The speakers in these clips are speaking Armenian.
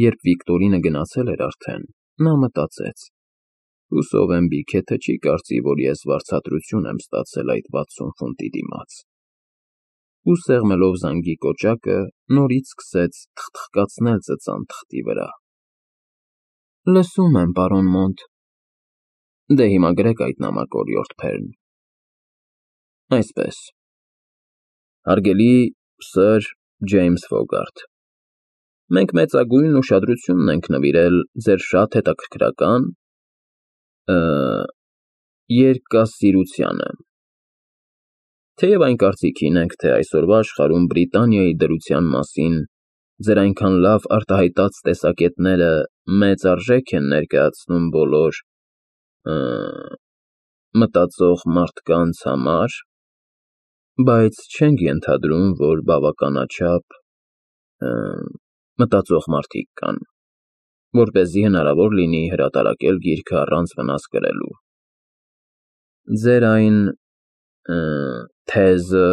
Երբ Վիկտորինը գնացել էր արդեն, նա մտածեց. «Հուսով եմ Բիքեթը չի կարծի, որ ես վարձատրություն եմ ստացել այդ 60 ֆունտի դիմաց»։ Ու սեղմելով զանգի կոճակը, նորից սկսեց թխթխկացնել ծծան թղթի վրա։ «Լսում եմ, պարոն Մոնտ»։ Դե հիմա գրեք այդ նամակը, օրիորդ Փերն։ Այսպես. Հարգելի Սըր Ջեյմս Ֆոգարթ, մենք մեծագույն ուշադրություն ենք նվիրել ձեր շատ հետաքրքրական երկասիրությանը։ Թեև այն կարծիքին ենք, թե այսօրվա աշխարհում Բրիտանիայի դրության մասին ձեր այնքան լավ արտահայտած տեսակետները մեծ արժեք են ներկայացնում բոլոր մտածող մարդկանց համար, բայց չենք ենթադրում, որ բավականաչափ մտածող մարդիկ կան, որպեսզի հնարավոր լինի հրատարակել գիրքը առանց վնաս կրելու։ Ձեր այն թեզը,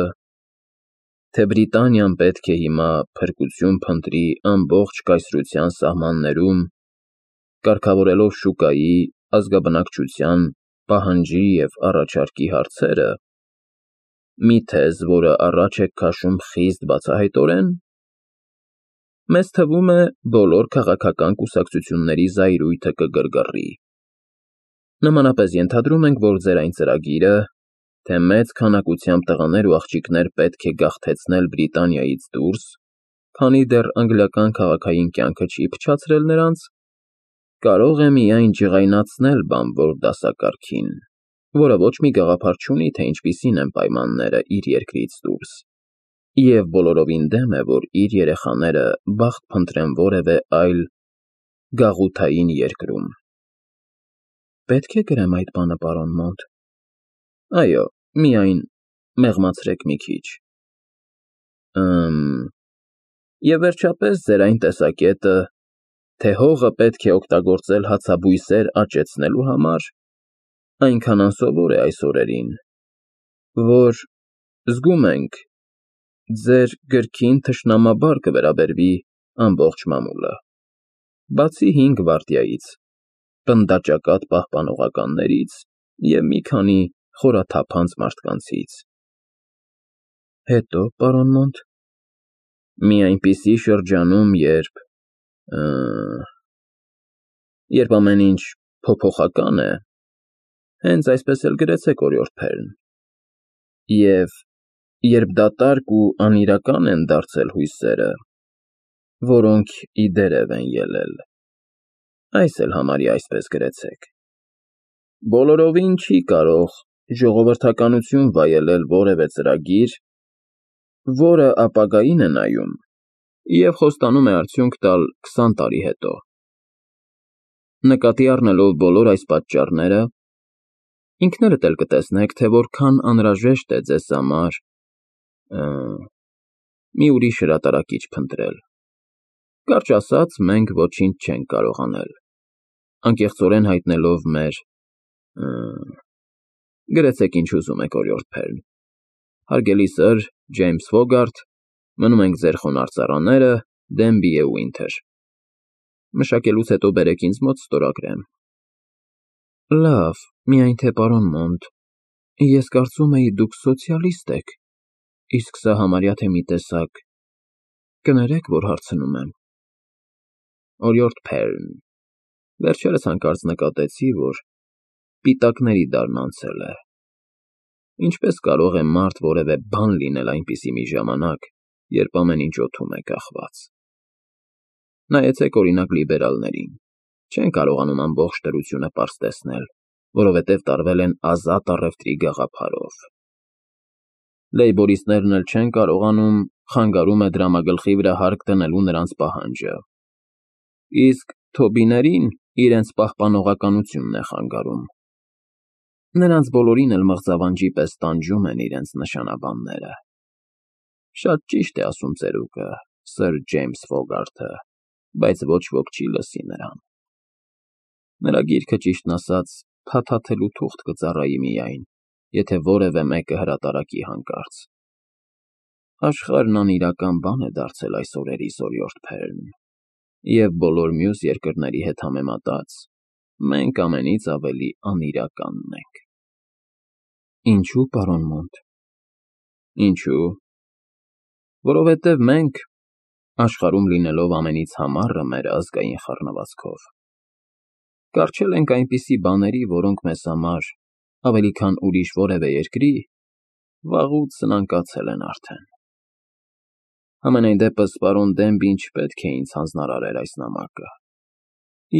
թե Բրիտանիան պետք է հիմա փրկություն փնտրի ամբողջ կայսրության սահմաններում, կարգավորելով շուկայի, ազգաբնակչության, պահանջի և առաջարկի հարցերը, մի թեզ, որը առաջ եք քաշում խիստ բացահայտորեն, մեզ թվում է բոլոր քաղաքական կուսակցությունների զայրույթը կգրգռի։ Նմանապես ենթադրում ենք, որ ձեր այն ծրագիրը, թե մեծ քանակությամբ տղաներ ու աղջիկներ պետք է գաղթեցնել Բրիտանիայից դուրս, քանի դեռ անգլիական քաղաքային կյանքը չի փչացրել նրանց, կարող է միայն ջղայնացնել բանվոր դասակարգին, որը ոչ մի գաղափար չունի, թե ինչպիսին են պայմանները իր երկրից դուրս, և բոլորովին դեմ է, որ իր երեխաները բախտ փնտրեն որևէ այլ գաղութային երկրում։ Պետք է գրեմ այդ բանը, պարոն Մոնտ։ Այո, միայն մեղմացրեք մի քիչ։ Եվ վերջապես ձեր այն տեսակետը, թե հողը պետք է օգտագործել հացաբույսեր աճեցնելու համար, այնքան անսովոր է այս օրերին, որ, զգում ենք, ձեր գրքին թշնամաբար կվերաբերվի ամբողջ մամուլը, բացի 5 վարդյայից, պնդաճակատ պահպանողականներից և մի քանի խորաթափանց մարդկանցից։ Հետո, պարոն Մոնտ։ Մի այնպիսի շրջանում, երբ ամեն ինչ փոփոխական է, հենց այսպես էլ գրեցեք, օրիորդ Փերն, և երբ դատարկ ու անիրական են դարձել հույսերը, որոնք ի դերև են ելել, այս էլ համարյա այսպես գրեցեք։ Բոլորովին չի կարող ժողովրդականություն վայելել որևէ ծրագիր, որը ապագային է նայում և խոստանում է արդյունք տալ 20 տարի հետո։ Նկատի առնելով բոլոր այս պատճառները, ինքներդ էլ կտեսնեք, թե որքան անհրաժեշտ է ձեզ համար մի ուրիշ հրատարակիչ փնտրել։ Կարճ ասած, մենք ոչինչ չենք կարող անել, անկեղծորեն հայտնելով մեր Գրեցեք ինչ ուզում եք, օրիորդ Փերն։ Հարգելի Սըր Ջեյմս Ֆոգարթ, մնում ենք ձեր խոնարհ ծառաները, Դենբի և Ուինթեր։ Մշակելուց հետո բերեք ինձ մոտ ստորագրեմ։ Լավ, միայն թե պարոն Մոնտ, ես կարծում էի դուք սոցիալիստ եք, իսկ սա համարյա թե մի տեսակ, կներեք, որ հարցնում եմ։ Օրիորդ Փերն, վերջերս հանկարծ նկատեցի, որ պիտակների դարն անցել է։ Ինչպես կարող է մարդ որևէ բան լինել այնպիսի մի ժամանակ, երբ ամեն ինչ օդում է կախված։ Նայեցեք օրինակ լիբերալներին, չեն կարողանում ամբողջ դրությունը պարզ տեսնել, որովհետև տարվել են ազատ առևտրի գաղափարով։ Լեյբորիստներն էլ չեն կարողանում, խանգարում է դրամագլխի վրա հարկ դնելու նրանց պահանջը։ Իսկ Թոբիներին իրենց պահպանողականությունն է խանգարում։ Նրանց բոլորին էլ մղձավանջի պես տանջում են իրենց նշանաբանները։ Շատ ճիշտ է ասում ծերուկը, Սըր Ջեյմս Ֆոգարթը, բայց ոչ ոք չի լսի նրան։ Նրա գիրքը, ճիշտն ասած, փաթաթելու թուղթ կծառայի միայն, եթե որևէ մեկը հրատարակի հանկարծ։ Աշխարհն անիրական բան է դարձել այս օրերիս, օրիորդ Փերն։ և բոլոր մյուս երկրների հետ համեմատած, մենք ամենից ավելի անիրականն ենք։ Ինչու, պարոն Մոնտ։ Ինչու։ Որովհետև մենք, աշխարհում լինելով ամենից համառը մեր ազգային խառնվածքով, կառչել ենք այնպիսի բաների, որոնք մեզ համար, ավելի քան ուրիշ որևէ երկրի, վաղուց սնանկացել են արդեն։ Համենայն դեպս, պարոն Դենբին չպետք է ինձ հանձնարարեր այս նամակը,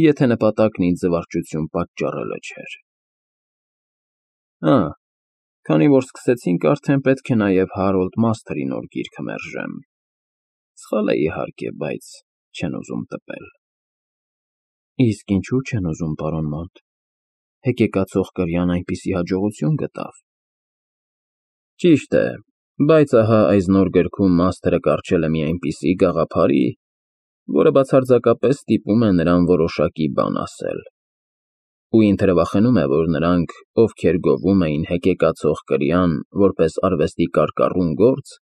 եթե նպատակն ինձ զվարճություն պատճառելը չէր։ Քանի որ սկսեցինք, արդեն պետք է նաև Հարոլդ Մասթերի նոր գիրքը մերժեմ։ Սխալ է, իհարկե, բայց չեն ուզում տպել։ Իսկ ինչու չեն ուզում, պարոն Մոնտ։ Հեկեկացող կրյան այնպիսի հաջողություն գտավ։ Ճիշտ է, բայց ահա այս նոր գրքում Մասթերը կառչել է մի այնպիսի գաղափարի, որը բացարձակապես ստիպում է նրան որոշակի բան ասել։ Ու ինքը թրվախենում է, որ նրանք, ովքեր գովում էին հեկեկացող կրյան որպես արվեստի կարկառուն գործ,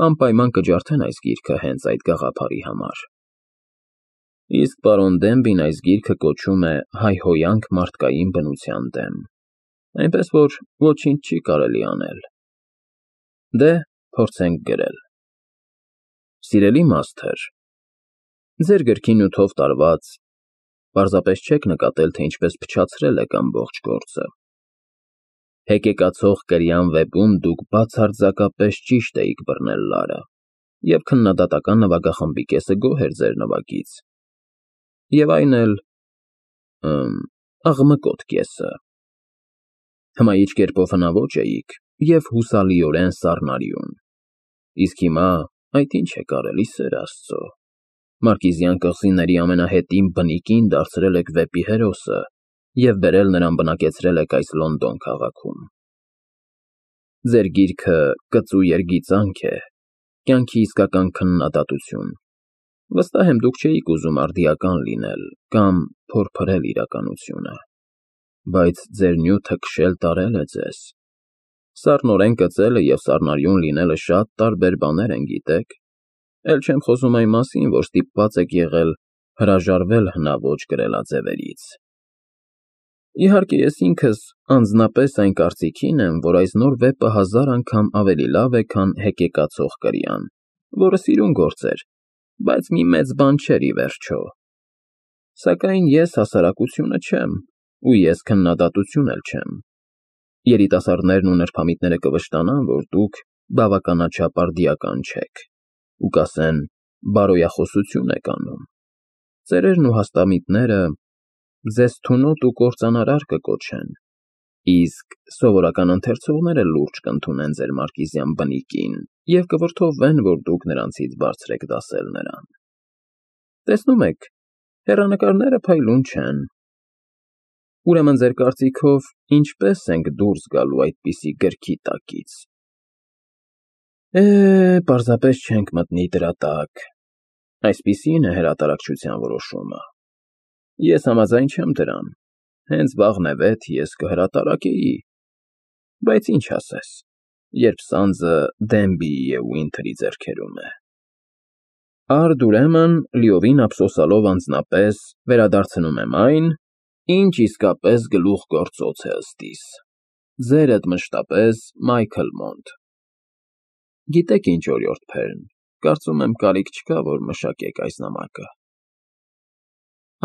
անպայման կջարդեն այս գիրքը հենց այդ գաղափարի համար։ Իսկ պարոն Դենբին այս գիրքը կոչում է «Հայհոյանք մարդկային բնության դեմ», այնպես որ ոչինչ չի կարելի անել։ Դե, փորձենք գրել։ Սիրելի Մասթեր, ձեր գրքի նյութով տարված, պարզապես չեք նկատել, թե ինչպես փչացրել եք ամբողջ գործը։ Հեկեկացող կրյան վեպում դուք բացարձակապես ճիշտ էիք բռնել լարը, և քննադատական նվագախմբի կեսը գոհ էր ձեր նվագից, և այն էլ աղմկոտ կեսը։ Հմայիչ կերպով հնաոճ էիք և հուսալիորեն սառնարյուն։ Իսկ հիմա այդ ինչ եք արել, ի սեր Աստծո։ Մարկիզյան կղզիների ամենահետին բնիկին դարձրել եք վեպի հերոսը և բերել նրան բնակեցրել եք այս Լոնդոն քաղաքում։ Ձեր գիրքը կծու երգիծանք է, կյանքի իսկական քննադատություն։ Վստահ եմ, դուք չէիք ուզում արդիական լինել կամ փորփրել իրականությունը, բայց ձեր նյութը քշել տարել է ձեզ։ Սառնորեն կծելը և սառնարյուն լինելը շատ տարբեր բաներ են, գիտեք։ Էլ չեմ խոսում այն մասին, որ ստիպված եք եղել հրաժարվել հնաոճ գրելաձևերից։ Իհարկե, ես ինքս անձնապես այն կարծիքին եմ, որ այս նոր վեպը 1000 անգամ ավելի լավ է, քան հեկեկացող կրյան, որը սիրուն գործ էր, բայց մի մեծ բան չէր, ի վերջո։ Սակայն ես հասարակությունը չեմ, ու ես քննադատություն էլ չեմ։ Երիտասարդներն ու նրբամիտները կվշտանան, որ դուք բավականաչափ արդիական չեք, ու կասեն, բարոյախոսություն եք անում։ Ծերերն ու հաստամիտները ձեզ թունոտ ու կործանարար կկոչեն, իսկ սովորական ընթերցողները լուրջ կընդունեն ձեր մարկիզյան բնիկին և կվրդովվեն, որ դուք նրանցից բարձր եք դասել նրան։ Տեսնում եք, հեռանկարները փայլուն չեն։ Ուրեմն ձեր կարծիքով ինչպե՞ս ենք դուրս գալու այդպիսի գրքի տակից։ Պարզապես չենք մտնի դրա տակ։ Այսպիսին է հրատարակչության որոշումը։ Ես համաձայն չեմ դրան։ Հենց վաղն է վեթ ես կհրատարակեի, բայց ինչ ասես, երբ սանձը Դենբիի և Ուինթերի ձեռքերում է։ Արդ ուրեմն, լիովին ափսոսալով անձնապես, վերադարձնում եմ այն, ինչ իսկապես գլուխգործոց է ըստիս։ Ձերդ մշտապես Մայքլ Մոնտ։ Գիտեք ինչ, օրիորդ Փերն, կարծում եմ կարիք չկա, որ մշակեք այս նամակը։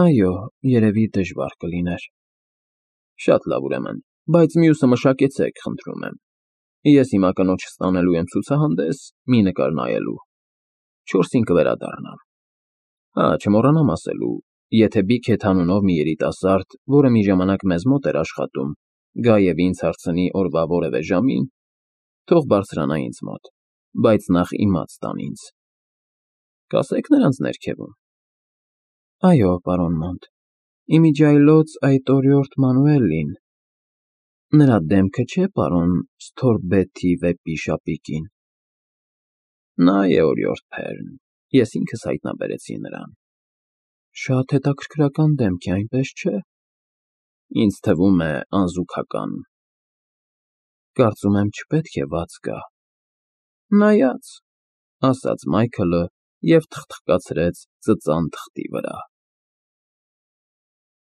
Այո, երևի դժվար կլիներ։ Շատ լավ ուրեմն, բայց մյուսը մշակեցեք, խնդրում եմ։ Ես հիմա կնոջս տանելու եմ ցուցահանդես, մի նկար նայելու։ 4-ին կվերադառնամ։ Չմոռանամ ասելու, եթե Բիքեթ անունով մի երիտասարդ, որը մի ժամանակ մեզ մոտ էր աշխատում, գա և ինձ հարցնի օրվա որևէ ժամին, թող բարձրանա ինձ մոտ, բայց նախ իմաց տան ինձ։ Կասե՞ք նրանց ներքևում։ Այո, պարոն Մոնտ, իմիջիայլոց այդ օրիորդ Մանուելին։ Նրա դեմքը չէ՞ պարոն Սթորբեթի վեպի շապիկին։ Նա է, օրիորդ Փերն, ես ինքս հայտնաբերեցի նրան։ Շատ հետաքրքրական դեմք է, այնպես չէ։ Ինձ թվում է անզուգական։ Կարծում եմ չպետք է վաց գա։ Նայած, ասաց Մայքլը և թխթխկացրեց ծծան թղթի վրա։